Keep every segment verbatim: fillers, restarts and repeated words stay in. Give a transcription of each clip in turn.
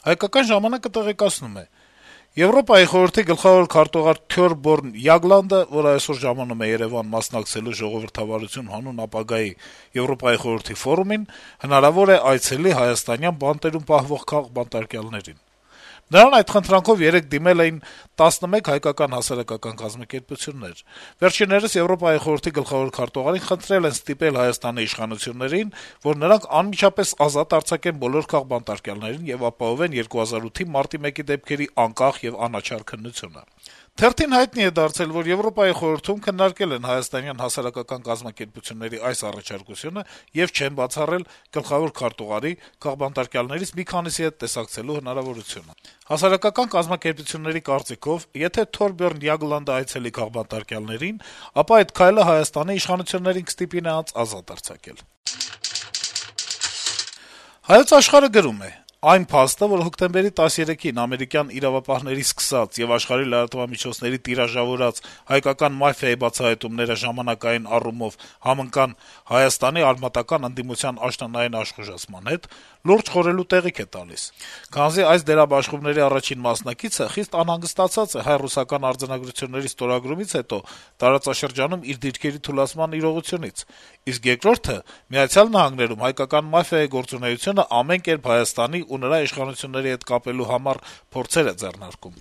«Հայկական ժամանակ»-ը տեղեկացնում է. - «Եվրոպայի խորհրդի գլխավոր քարտուղար Թյորբորն Յագլանդը, որը այսօր ժամանում է Երեւան մասնակցելու ժողովրդավարություն հանուն ապագայի Եվրոպայի խորհրդի ֆորումին, հնարավոր է այցելի հայաստանյան բանտերում պահվող քաղբանտարկյալներին։ Նրան այդ խնդրանքով երեկ դիմել էին տասնմեկ հայկական հասարակական կազմակերպություններ։ Վերջիններս Եվրոպայի խորհրդի գլխավոր քարտուղարին խնդրել են ստիպել Հայաստանի իշխանություններին, որ նրանք անմիջապես ազատ արձակեն բոլոր քաղբանտարկյալներին եւ ապահովեն երկու հազար ութի մարտի մեկի դեպքերի անկախ եւ անաչառ քննությունը։ Թերթին հայտնի է դարձել, որ Եվրոպայի խորհրդում քննարկել են հայաստանյան հասարակական կազմակերպությունների այս առաջարկությունը եւ չեն բացառել գլխավոր քարտուղարի քաղբանտարկյալներից մի քանիսի հետ տեսակցելու հնարավորությունը։ Հասարակական կազմակերպությունների կարծիքով, եթե Թորբերն Յագլանդը այցելի քաղբանտարկյալներին, ապա այդ քայլը Հայաստանի իշխանություններին կստիպի նրանց ազատ արձակել։ Հայոց Աշխարհ-ը գրում է. - «Այն փաստը, որ հոկտեմբերի տասներեքին ամերիկյան իրավապահների սկսած եւ աշխարհի լրատվամիջոցների տիրաժավորած հայկական մաֆիայի բացահայտումները ժամանակային առումով համընկան Հայաստանի արմատական ընդդիմության աշնանային աշխուժացման հետ, լուրջ խորհելու տեղիք է տալիս։ Քանզի այս դերաբաշխումների առաջին մասնակիցը խիստ անհանգստացած է հայ-ռուսական արձանագրությունների ստորագրումից հետո տարածաշրջանում իր դիրքերի թուլացման իրողությունից, իսկ երկրորդը Միացյալ Նահանգներում հայկական մաֆիայի գործունեությունը ամեն կերպ Հայաստանի ու նրա իշխանությունների հետ կապելու համար փորձեր է ձեռնարկում։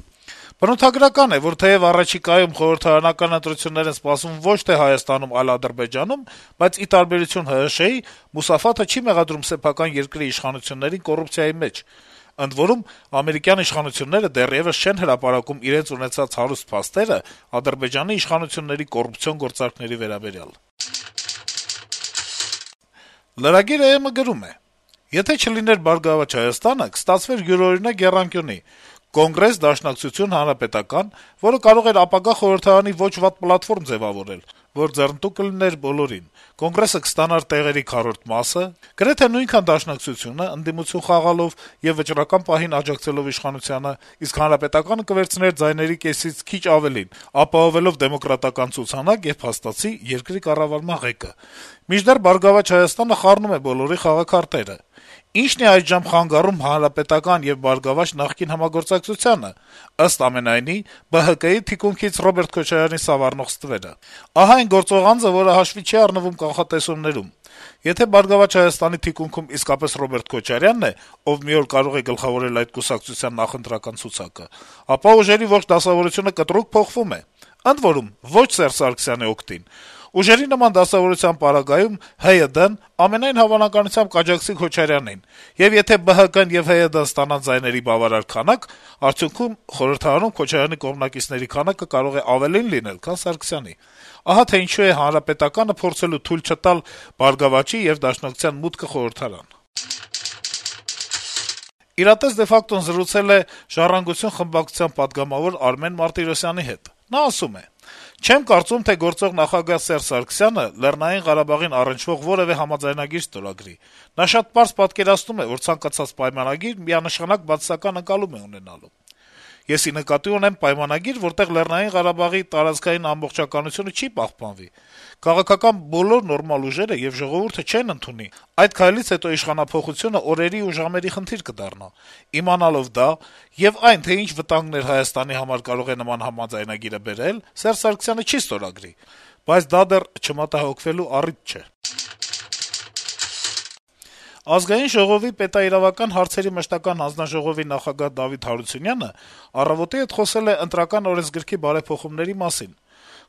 Բնութագրական է, որ թեեւ առաջիկայում խորհրդարանական ընտրություններ են սպասվում ոչ թե Հայաստանում, այլ Ադրբեջանում, բայց ի տարբերություն ՀՀՇ-ի, Մուսաֆաթը չի մեղադրում սեփական երկրի իշխանություններին կոռուպցիայի մեջ։ Ընդ որում, ամերիկյան իշխանությունները դեռեւս չեն հրապարակում իրենց ունեցած հարուստ փաստերը Ադրբեջանի իշխանությունների կոռուպցիոն գործարքների վերաբերյալ»։ Lragir.am-ը գրում է. - «Եթե չլիներ «Բարգավաճ Հայաստանը», կստացվեր յուրօրինակ եռանկյունի Կոնգրես, Դաշնակցություն, Հանրապետական, որը կարող էր ապագա խորհրդարանի ոչ վատ պլատֆորմ ձեւավորել, որ ձեռնտու կլիներ բոլորին: Կոնգրեսը կստանար տեղերի քառորդ մասը, գրեթե նույնքան Դաշնակցությունը՝ ընդդիմություն խաղալով եւ վճռական պահին աջակցելով իշխանությանը, իսկ Հանրապետականը կվերցներ ձայների կեսից քիչ ավելին՝ ապահովելով դեմոկրատական ցուցանակ եւ փաստացի երկրի կառավարման ղեկը: Մինչդեռ «Բարգավաճ Հայաստանը» խառնում է բոլորի խաղաքարտերը: Ի՞նչն է այժմ խանգարում Հանրապետական եւ «Բարգավաճ» նախկին համագործակցությանը: Ըստ ամենայնի, ԲՀԿ-ի թիկունքից Ռոբերտ Քոչարյանի սավառնող ստվերը: Ահա այն գործող անձը, որը հաշվի չի առնվում կանխատեսումներում: Եթե «Բարգավաճ Հայաստանի» թիկունքում իսկապես Ռոբերտ Քոչարյանն է, ով մի օր կարող է գլխավորել այդ կուսակցության նախընտրական ցուցակը, ապա ուժերի ողջ դասավորությունը կտրուկ փոխվում է: Ընդ որում, ոչ Սերժ Սարգսյանի օգտին: Ուժերի նման դասավորության պարագայում ՀՅԴ-ն ամենայն հավանականությամբ կաջակցի Քոչարյանին, եւ եթե ԲՀԿ-ն եւ ՀՅԴ-ն ստանան ձայների բավարար քանակ, արդյունքում խորհրդարանում Քոչարյանի կողմնակիցների քանակը կարող է ավելին լինել, քան Սարգսյանի: Ահա թե ինչու է Հանրապետականը փորձելու թույլ չտալ «Բարգավաճի» եւ Դաշնակցության մուտքը խորհրդարան»: «Իրատես de facto»-ն զրուցել է «Ժառանգություն» խմբակցության պատգամավոր Արմեն Մարտիրոսյանի հետ: Նա ասում է. - «Չեմ կարծում, թե գործող նախագահ Սերժ Սարգսյանը Լեռնային Ղարաբաղին առնչվող որեւէ համաձայնագիր ստորագրի: Նա շատ պարզ պատկերացնում է, որ ցանկացած պայմանագիր միանշանակ բացասական ընկալում է ունենալու: Ես ի նկատի ունեմ պայմանագիր, որտեղ Լեռնային Ղարաբաղի տարածքային ամբողջականությունը չի պահպանվի: Քաղաքական բոլոր նորմալ ուժերը եւ ժողովուրդը չեն ընդունի: Այդ քայլից հետո իշխանափոխությունը օրերի ու ժամերի խնդիր կդառնա: Իմանալով դա եւ այն, թե ինչ վտանգներ Հայաստանի համար կարող է նման համաձայնագիրը բերել, Սերժ Սարգսյանը չի ստորագրի: Բայց դա դեռ չմտահոգվելու առիթ չէ»: Ազգային ժողովի պետաիրավական հարցերի մշտական հանձնաժողովի նախագահ Դավիթ Հարությունյանը «Առավոտ»-ի հետ խոսել է Ընտրական օրենսգրքի բարեփոխումների մասին: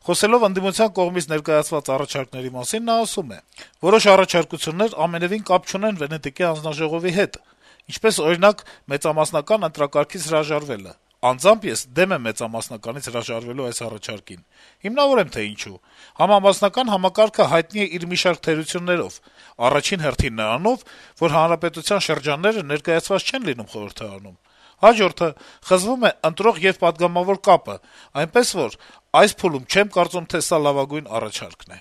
Խոսելով ընդդիմության կողմից ներկայացված առաջարկների մասին` նա ասում է. - «Որոշ առաջարկություններ ամենեւին կապ չունեն Վենետիկի հանձնաժողովի հետ, ինչպես, օրինակ, մեծամասնական ընտրակարգից հրաժարվելը: Անձամբ ես դեմ եմ մեծամասնականից հրաժարվելու այս առաջարկին: Հիմնավորեմ, թե ինչու: Համամասնական համակարգը հայտնի է իր մի շարք թերություններով: Առաջին հերթին նրանով, որ հանրապետության շրջանները ներկայացված չեն լինում խորհրդարանում: Հաջորդը` խզվում է ընտրող եւ պատգամավոր կապը, այնպես որ, այս փուլում չեմ կարծում, թե սա լավագույն առաջարկն է»: